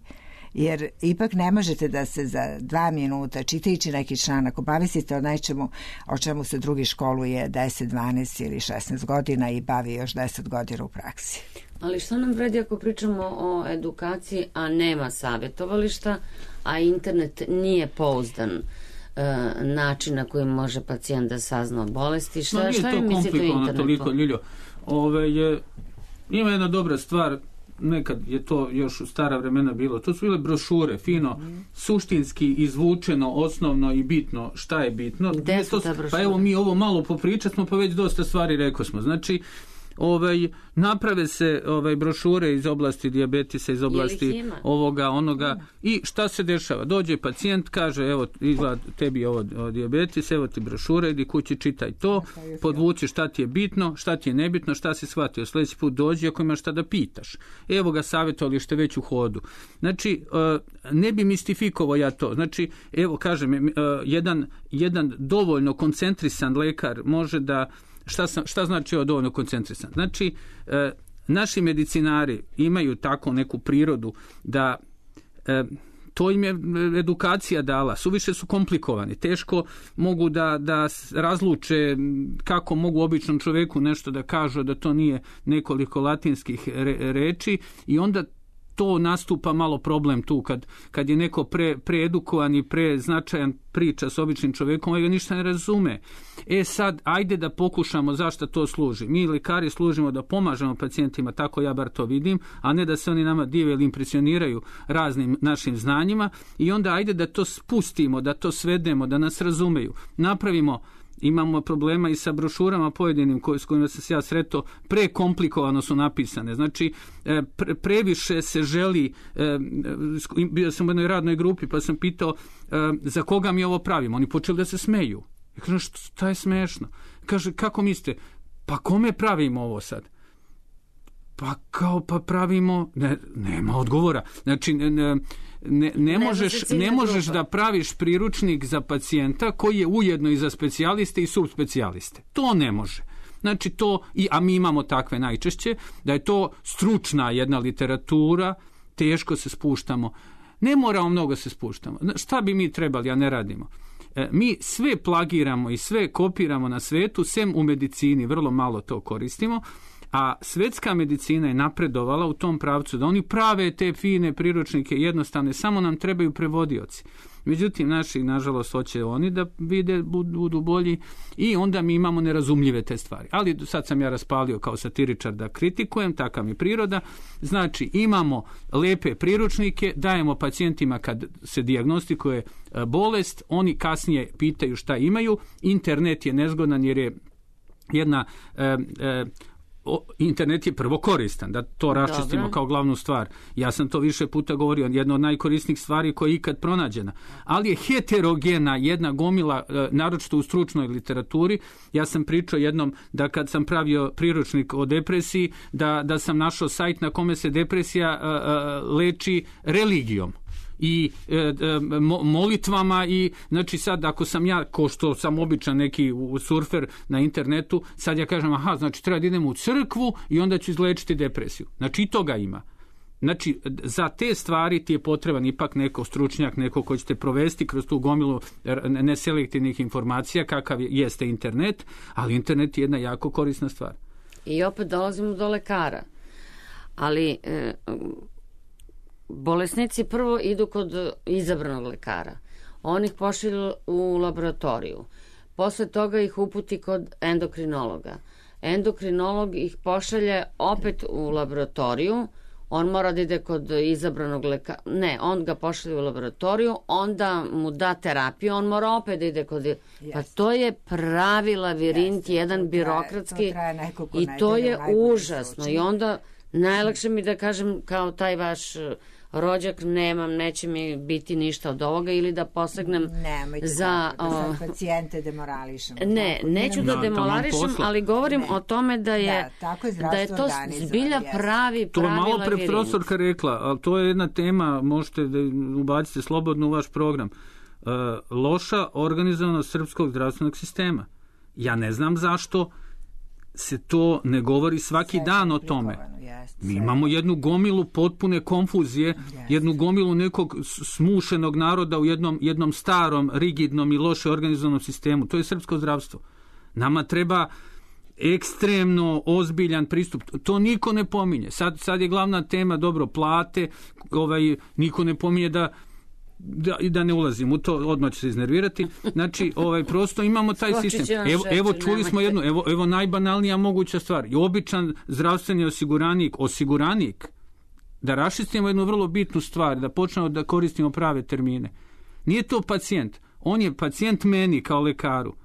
jer ipak ne možete da se za 2 minuta čitajući neki članak obavestite o nečemu o čemu se drugi školuje 10, 12 ili 16 godina i bavi još 10 godina u praksi. Ali što nam vredi ako pričamo o edukaciji, a nema savjetovališta, a internet nije pouzdan način na koji može pacijent da sazna bolesti? Šta je mislite o internetu? Toliko, Ljiljo. Ima jedna dobra stvar, nekad je to još u stara vremena bilo, to su bile brošure, fino, suštinski izvučeno, osnovno i bitno, šta je bitno. Gde su ta brošura? Pa evo mi ovo malo popričat smo, pa već dosta stvari rekao smo. Znači, naprave se brošure iz oblasti dijabetisa, iz oblasti ovoga, onoga i šta se dešava? Dođe pacijent, kaže, evo, izgleda tebi ovo dijabetis, evo ti brošure, idi kući, čitaj to, podvuci šta ti je bitno, šta ti je nebitno, šta si shvatio. Sljedeći put dođi ako imaš šta da pitaš. Evo ga savjetovalište već u hodu. Znači, ne bi mistifikovao ja to. Znači, evo, kažem, jedan dovoljno koncentrisan lekar može da Šta znači ovo dovoljno koncentrisan? Znači, naši medicinari imaju tako neku prirodu da to im je edukacija dala, suviše su komplikovani, teško mogu da razluče kako mogu običnom čoveku nešto da kažu da to nije nekoliko latinskih reči i onda to nastupa malo problem tu kad je neko preedukovan i preznačajan priča s običnim čovjekom, on ga ništa ne razume. Sad, ajde da pokušamo zašto to služi. Mi lekari služimo da pomažemo pacijentima, tako ja bar to vidim, a ne da se oni nama dive ili impresioniraju raznim našim znanjima i onda ajde da to spustimo, da to svedemo, da nas razumeju. Imamo problema i sa brošurama pojedinim s kojima sam se ja sretao, prekomplikovano su napisane. Znači, previše se želi, bio sam u jednoj radnoj grupi pa sam pitao za koga mi ovo pravimo. Oni počeli da se smeju. Ja kažem, šta je smešno? Kaže, kako mislite? Pa kome pravimo ovo sad? Pa pravimo, nema odgovora. Znači, ne možeš da praviš priručnik za pacijenta koji je ujedno i za specijaliste i subspecijaliste. To ne može. Znači to, a mi imamo takve najčešće, da je to stručna jedna literatura, teško se spuštamo. Ne moramo mnogo se spuštamo. Šta bi mi trebali, a ne radimo? Mi sve plagiramo i sve kopiramo na svetu, sem u medicini, vrlo malo to koristimo, a svetska medicina je napredovala u tom pravcu da oni prave te fine priručnike jednostavne, samo nam trebaju prevodioci. Međutim, naši, nažalost, hoće oni da vide, budu bolji i onda mi imamo nerazumljive te stvari. Ali sad sam ja raspalio kao satiričar da kritikujem, takav mi priroda. Znači, imamo lepe priručnike, dajemo pacijentima kad se dijagnostikuje bolest, oni kasnije pitaju šta imaju. Internet je nezgodan jer je jedna... internet je prvo koristan, da to raščistimo kao glavnu stvar. Ja sam to više puta govorio, jedna od najkorisnijih stvari koja je ikad pronađena. Ali je heterogena jedna gomila, naročito u stručnoj literaturi. Ja sam pričao jednom da kad sam pravio priručnik o depresiji, da sam našao sajt na kome se depresija leči religijom i molitvama i znači sad ako sam ja, ko što sam običan neki surfer na internetu, sad ja kažem aha, znači treba da idem u crkvu i onda ću izlečiti depresiju. Znači i toga ima. Znači za te stvari ti je potreban ipak neko stručnjak, neko ko ćete provesti kroz tu gomilu neselektivnih informacija kakav jeste internet, ali internet je jedna jako korisna stvar. I opet dolazimo do lekara. Ali... bolesnici prvo idu kod izabranog lekara. On ih pošalju u laboratoriju. Posle toga ih uputi kod endokrinologa. Endokrinolog ih pošalje opet u laboratoriju. On mora da ide kod izabranog lekara. Ne, on ga pošalje u laboratoriju, onda mu da terapiju, on mora opet da ide kod... Pa to je pravi lavirint, jedan birokratski i to je užasno. I onda najlakše mi da kažem kao taj vaš rođak nemam, neće mi biti ništa od ovoga ili da posegnem za... da sad pacijente demorališem. Ne, neću da demorališem, ali govorim o tome da je to zbilja pravi lavirint. To je malo pre profesorka rekla, ali to je jedna tema, možete da ubacite slobodno u vaš program. Loša organizovanost srpskog zdravstvenog sistema. Ja ne znam zašto se to ne govori svaki dan o tome. Mi imamo jednu gomilu potpune konfuzije, jednu gomilu nekog smušenog naroda u jednom starom, rigidnom i loše organizovanom sistemu. To je srpsko zdravstvo. Nama treba ekstremno ozbiljan pristup. To niko ne pominje. Sad je glavna tema, dobro, plate, niko ne pominje da ne ulazim u to, odmah ću se iznervirati. Znači, prosto imamo taj sistem. Evo čuli smo jednu, evo najbanalnija moguća stvar. I običan zdravstveni osiguranik, da raščistimo jednu vrlo bitnu stvar, da počnemo da koristimo prave termine. Nije to pacijent. On je pacijent meni kao lekaru.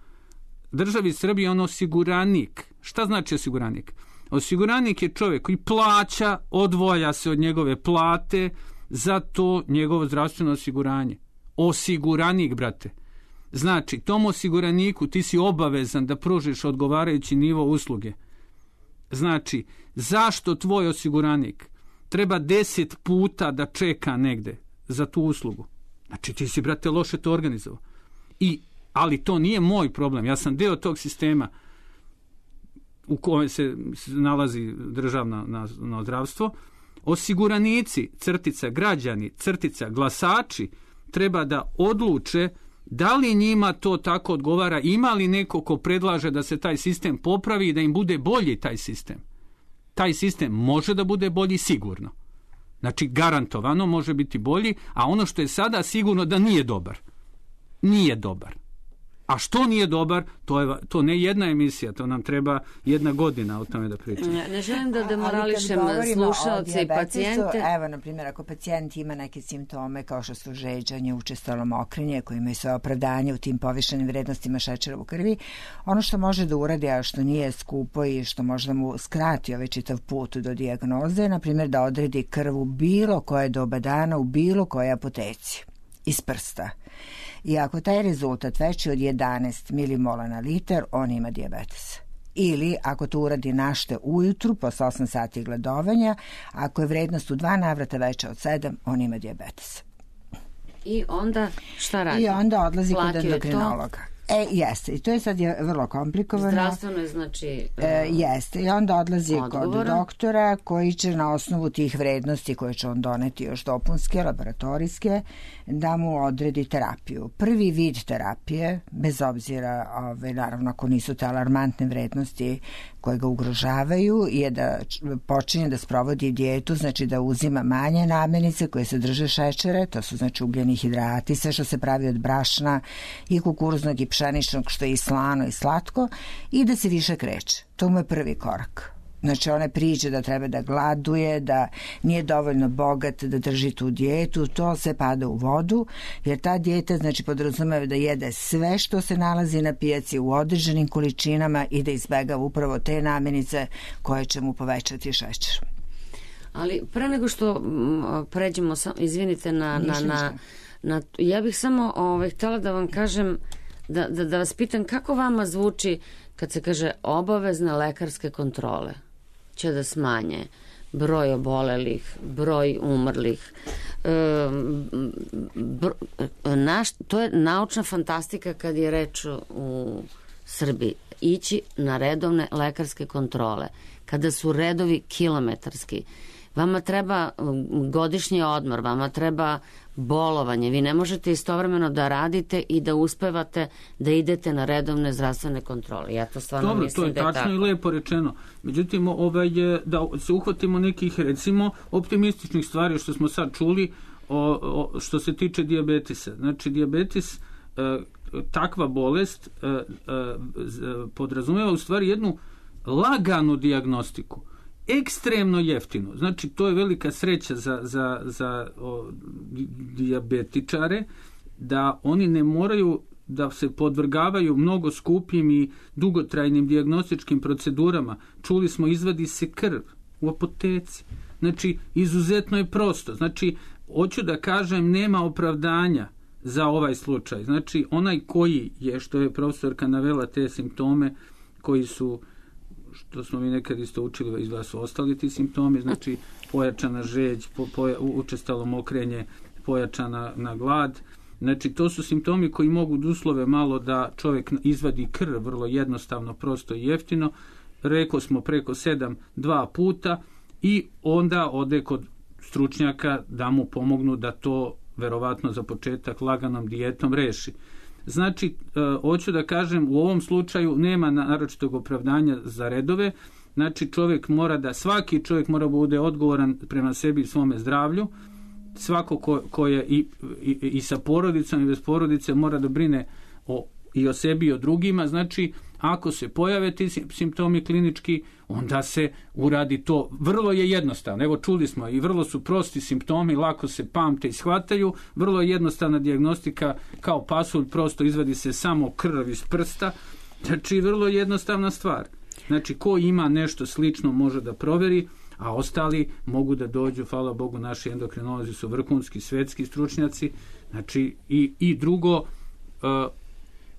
Državi Srbije on osiguranik. Šta znači osiguranik? Osiguranik je čovjek koji plaća, odvoja se od njegove plate za to njegovo zdravstveno osiguranje. Osiguranik, brate. Znači, tom osiguraniku ti si obavezan da pružiš odgovarajući nivo usluge. Znači, zašto tvoj osiguranik treba 10 puta da čeka negde za tu uslugu? Znači, ti si, brate, loše to organizovao. Ali to nije moj problem. Ja sam deo tog sistema u kojem se nalazi državno zdravstvo. Osiguranici, crtica građani, crtica glasači, treba da odluče da li njima to tako odgovara, ima li neko ko predlaže da se taj sistem popravi i da im bude bolji taj sistem. Taj sistem može da bude bolji sigurno. Znači, garantovano može biti bolji, a ono što je sada sigurno da nije dobar. Nije dobar. A što nije dobar, to ne jedna emisija, to nam treba 1 godina o tome da pričamo. Ne želim da demorališem slušalce i pacijente. Evo, na primjer, ako pacijent ima neke simptome kao što su žeđanje, učestalo mokrenje, koji imaju svoje opravdanje u tim povišenim vrednostima šećera u krvi, ono što može da uradi, a što nije skupo i što može da mu skrati ovaj čitav put do dijagnoze, na primjer da odredi krv u bilo koje doba dana, u bilo koje apoteci, iz prsta. I ako taj rezultat veći od 11 milimola na litar, on ima dijabetes. Ili ako to uradi našte ujutru, posle 8 sati gladovanja, ako je vrednost u 2 navrata veća od 7, on ima dijabetes. I onda šta radi? I onda odlazi kod endokrinologa. Jeste, i to je sad vrlo komplikovano. Zdravstveno je znači... Jeste, i onda odlazi kod doktora koji će na osnovu tih vrednosti koje će on doneti još dopunske, laboratorijske, da mu odredi terapiju. Prvi vid terapije, bez obzira, naravno ako nisu te alarmantne vrednosti koje ga ugrožavaju, je da počinje da sprovodi dijetu, znači da uzima manje namirnice koje sadrže šećere, to su znači ugljeni hidrati, sve što se pravi od brašna i kukuruznog i pšeničnog, što je i slano i slatko, i da se više kreće. To mu je prvi korak. Znači one priče da treba da gladuje, da nije dovoljno bogat da drži tu dijetu, to se pada u vodu, jer ta dijeta znači podrazumeva da jede sve što se nalazi na pijaci u određenim količinama i da izbegava upravo te namirnice koje će mu povećati šećer. Ali pre nego što pređemo, izvinite, ja bih samo htjela da vam kažem, da vas pitam kako vama zvuči kad se kaže obavezne lekarske kontrole će da smanje broj obolelih, broj umrlih. To je naučna fantastika kad je reč u Srbiji. Ići na redovne lekarske kontrole. Kada su redovi kilometarski, vama treba godišnji odmor, vama treba bolovanje. Vi ne možete istovremeno da radite i da uspevate da idete na redovne zdravstvene kontrole. Ja to stvarno mislim da je tako. To je tačno i lepo rečeno. Međutim, da se uhvatimo nekih, recimo, optimističnih stvari što smo sad čuli što se tiče dijabetisa. Znači, dijabetis, takva bolest podrazumeva u stvari jednu laganu dijagnostiku. Ekstremno jeftino. Znači, to je velika sreća za dijabetičare, da oni ne moraju da se podvrgavaju mnogo skupim i dugotrajnim dijagnostičkim procedurama. Čuli smo, izvadi se krv u apoteci. Znači, izuzetno je prosto. Znači, hoću da kažem, nema opravdanja za ovaj slučaj. Znači, onaj koji je, što je profesorka navela te simptome koji su, što smo mi nekad isto učili, izgleda su ostali ti simptomi, znači pojačana žeđ, učestalo mokrenje, pojačana na glad. Znači, to su simptomi koji mogu da uslove malo da čovjek izvadi krv, vrlo jednostavno, prosto i jeftino. Rekao smo preko 7-2 puta i onda ode kod stručnjaka da mu pomognu da to verovatno za početak laganom dijetom reši. Znači, hoću da kažem, u ovom slučaju nema naročitog opravdanja za redove. Znači, svaki čovjek mora bude odgovoran prema sebi i svome zdravlju. Svako ko je i sa porodicom i bez porodice mora da brine i o sebi i o drugima. Znači, ako se pojave ti simptomi klinički, onda se uradi to. Vrlo je jednostavno. Evo, čuli smo, i vrlo su prosti simptomi, lako se pamte i shvataju. Vrlo je jednostavna dijagnostika, kao pasulj, prosto izvadi se samo krv iz prsta. Znači, vrlo je jednostavna stvar. Znači, ko ima nešto slično može da proveri, a ostali mogu da dođu, hvala Bogu, naši endokrinolozi su vrhunski svetski stručnjaci. Znači, i drugo,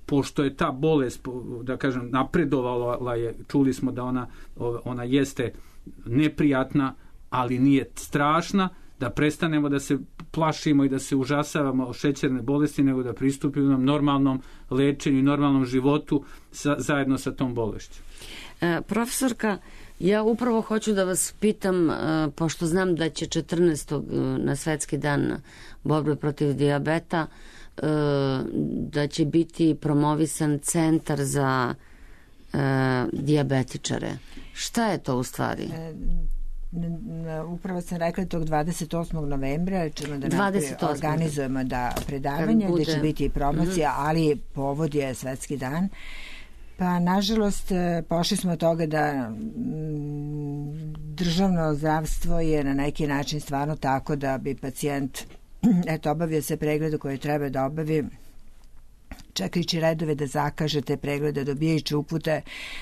pošto je ta bolest, da kažem, napredovala je, čuli smo da ona jeste neprijatna, ali nije strašna, da prestanemo da se plašimo i da se užasavamo o šećerne bolesti, nego da pristupimo normalnom lečenju i normalnom životu zajedno sa tom bolešću. Profesorka, ja upravo hoću da vas pitam, pošto znam da će 14. na Svetski dan borbe protiv dijabeta, da će biti promovisan centar za dijabetičare. Šta je to u stvari? Upravo sam rekla tog 28. novembra ćemo da organizujemo predavanje gdje će biti promocija, ali povod je Svetski dan. Pa, nažalost, pošli smo od toga da državno zdravstvo je na neki način stvarno tako da bi pacijent obavio se preglede koje treba da obavi, čekajući redove da zakaže te preglede, dobijajući upute.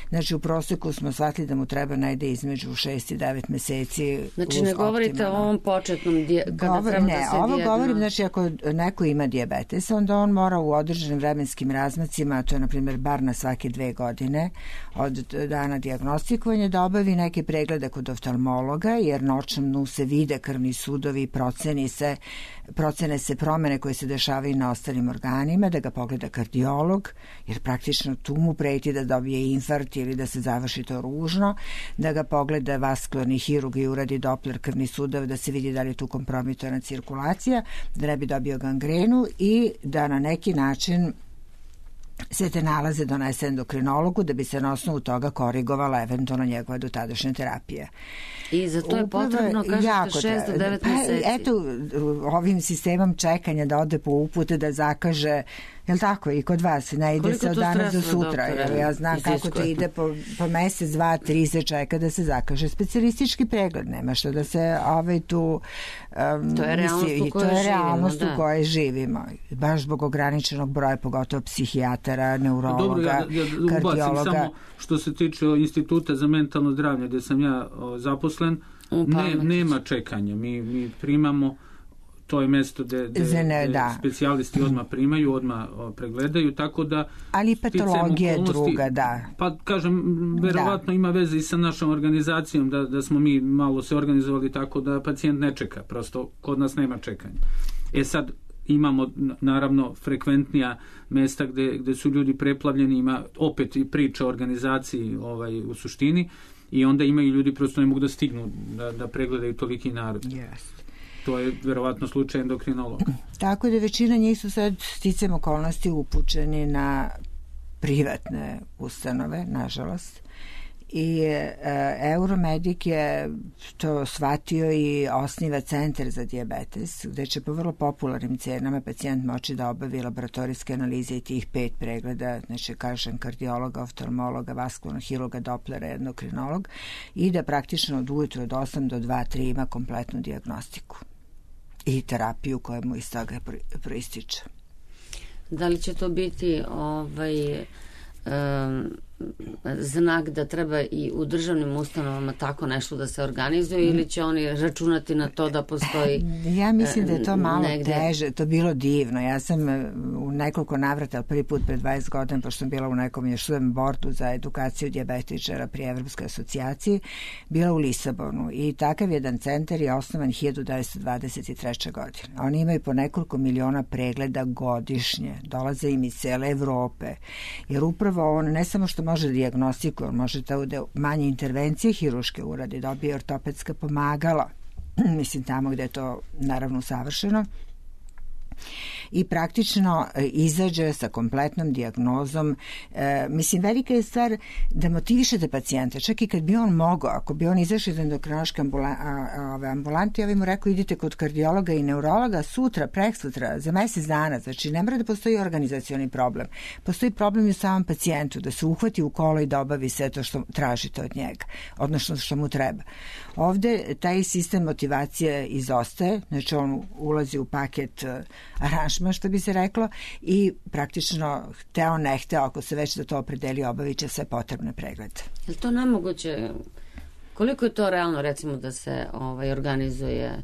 Znači, u proseku smo shvatili da mu treba najde između 6 i 9 meseci. Znači, ne govorite o ovom početnom kada treba da se ovo govorim, znači, ako neko ima dijabetes, onda on mora u određenim vremenskim razmacima, to je, na primjer, bar na svake 2 godine od dana dijagnostikovanja, da obavi neke preglede kod oftalmologa, jer na očnom dnu se vide krvni sudovi, procene se promene koje se dešavaju na ostalim organima, da ga pogleda kardiolog, kardiolog, jer praktično tu mu preti da dobije infarkt ili da se završi to ružno, da ga pogleda vaskularni hirurg i uradi Doppler krvni sudav da se vidi da li je tu kompromitovana cirkulacija, da ne bi dobio gangrenu i da na neki način sve te nalaze donese endokrinologu da bi se na osnovu toga korigovala eventualno njegova dotadašnja terapija. I za to je potrebno, kažete, 6 do 9 meseci. Eto, ovim sistemom čekanja da ode po upute, da zakaže, jel tako, i kod vas, ne ide se od danas do sutra. Ja znam kako to ide po mesec, 2, 3 se čeka da se zakaže specijalistički pregled. Nema što da se tu... To je realnost u kojoj živimo. Baš zbog ograničenog broja, pogotovo psihijatara, neurologa, kardiologa. Ubacim samo što se tiče Instituta za mentalno zdravlje, gde sam ja zaposlen, nema čekanja. Mi primamo, to je mesto gde specijalisti odmah primaju, odmah pregledaju, tako da... Ali i patologija je druga, da. Pa, kažem, verovatno ima veze i sa našom organizacijom, da smo mi malo se organizovali tako da pacijent ne čeka, prosto kod nas nema čekanja. Sad, imamo naravno frekventnija mesta gde su ljudi preplavljeni, ima opet i priča o organizaciji u suštini, i onda imaju ljudi prosto ne mogu da stignu da pregledaju toliki narod. Yes. To je verovatno slučaj endokrinologa. Tako da većina njih su sad sticajem okolnosti upućeni na privatne ustanove, nažalost. I Euromedik je to shvatio i osniva centar za dijabetes, gde će po vrlo popularnim cenama pacijent moći da obavi laboratorijske analize i tih 5 pregleda, znači kažem kardiologa, oftalmologa, vaskularnog hirurga, Dopplera, endokrinolog, i da praktično od ujutru od 8 do 2-3 ima kompletnu dijagnostiku i terapiju koja mu iz toga proističe. Da li će to biti znak da treba i u državnim ustanovama tako nešto da se organizuje, ili će oni računati na to da postoji Ja mislim da je to malo teže, to bilo divno. Ja sam u nekoliko navrata, prvi put pred 20 godina, pošto sam bila u nekom još bordu za edukaciju dijabetičara pri Evropskoj asocijaciji, bila u Lisabonu i takav jedan centar je osnovan 1923. godine. Oni imaju po nekoliko miliona pregleda godišnje, dolaze im iz cele Evrope, jer upravo on ne samo što može dijagnostikuje, može da manje intervencije hiruške uradi, dobije ortopedska pomagala, mislim tamo gde je to naravno savršeno, i praktično izađe sa kompletnom dijagnozom. Mislim, velika je stvar da motivišete pacijenta, čak i kad bi on mogao, ako bi on izašao iz endokrinološke ambulante, ja bih mu rekao idite kod kardiologa i neurologa sutra, preksutra, za mesec dana, znači ne mora da postoji organizacioni problem. Postoji problem i u samom pacijentu, da se uhvati u kolo i da obavi sve to što tražite od njega, odnosno što mu treba. Ovde taj sistem motivacije izostaje, znači on ulazi u paket aranžma, što bi se reklo, i praktično hteo ne hteo, ako se već za to opredeli, obavit će sve potrebne preglede. Je li to nemoguće? Koliko je to realno, recimo, da se organizuje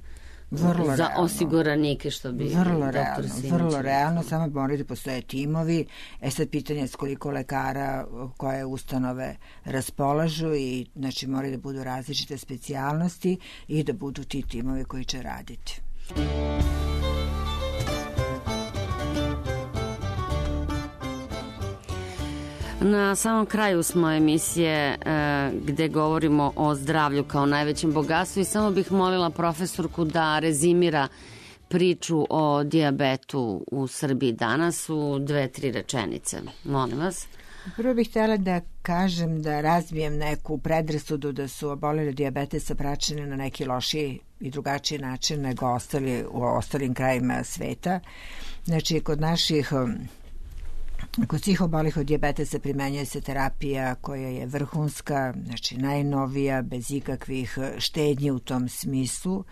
za osiguranike, što bi doktor Simić? Vrlo realno, samo moraju da postoje timovi. Sad pitanje je s koliko lekara koje ustanove raspolažu i znači moraju da budu različite specijalnosti i da budu ti timovi koji će raditi. Na samom kraju smo emisije gde govorimo o zdravlju kao najvećem bogatstvu i samo bih molila profesorku da rezimira priču o dijabetu u Srbiji danas u 2-3 rečenice. Molim vas. Prvo bih htjela da kažem, da razbijem neku predrasudu da su oboleli dijabetesa praćeni na neki lošiji i drugačiji način nego u ostalim krajima sveta. Znači, kod svih obolih od dijabetesa primenjuje se terapija koja je vrhunska, znači najnovija, bez ikakvih štednji u tom smislu,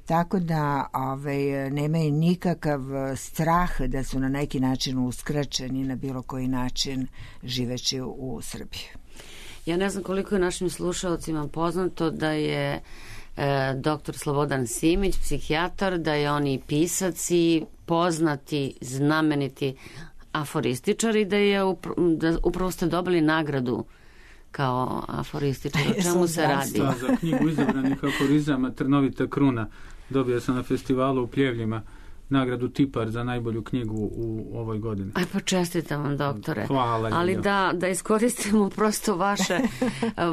tako da nemaju nikakav strah da su na neki način uskraćeni na bilo koji način živeći u Srbiji. Ja ne znam koliko je našim slušalcima poznato da je doktor Slobodan Simić, psihijatar, da je on i pisac i poznati, znameniti aforističar i da upravo ste dobili nagradu kao aforističar. O čemu se radi? Za knjigu izabranih aforizama Trnovita kruna dobio sam na festivalu u Pljevljima nagradu Tipar za najbolju knjigu u ovoj godini. Aj, pa čestitam vam, doktore. Hvala. Ali da iskoristimo prosto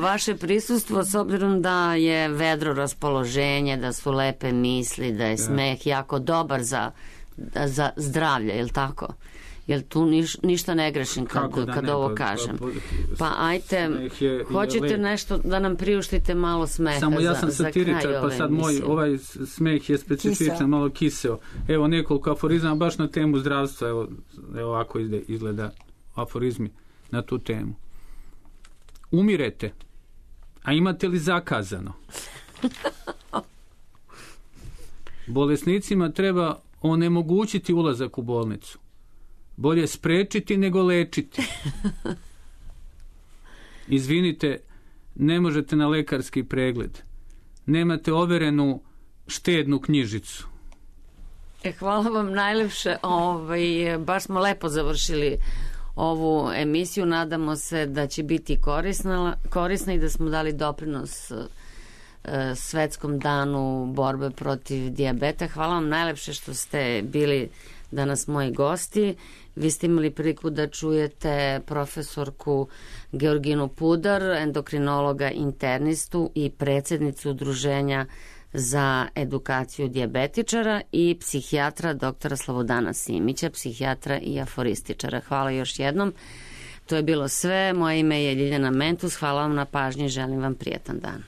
vaše prisustvo, s obzirom da je vedro raspoloženje, da su lepe misli, da je smeh jako dobar za zdravlje, je li tako? Jel tu ništa ne grešim kad ovo kažem? Pa ajte, hoćete nešto da nam priuštite malo smeha. Samo ja sam satiričar, pa sad moj ovaj smeh je specifičan, malo kiseo. Evo nekoliko aforizama baš na temu zdravstva. Evo ovako izgleda aforizmi na tu temu. Umirete, a imate li zakazano? Bolesnicima treba onemogućiti ulazak u bolnicu. Bolje sprečiti nego lečiti. Izvinite, ne možete na lekarski pregled. Nemate overenu štednu knjižicu. Hvala vam najlepše. Baš smo lepo završili ovu emisiju. Nadamo se da će biti korisna i da smo dali doprinos Svetskom danu borbe protiv dijabeta. Hvala vam najlepše što ste bili danas moji gosti. Vi ste imali priliku da čujete profesorku Georginu Pudar, endokrinologa internistu i predsjednicu Udruženja za edukaciju dijabetičara, i psihijatra doktora Slobodana Simića, psihijatra i aforističara. Hvala još jednom. To je bilo sve. Moje ime je Ljiljana Mentus. Hvala vam na pažnji. Želim vam prijetan dan.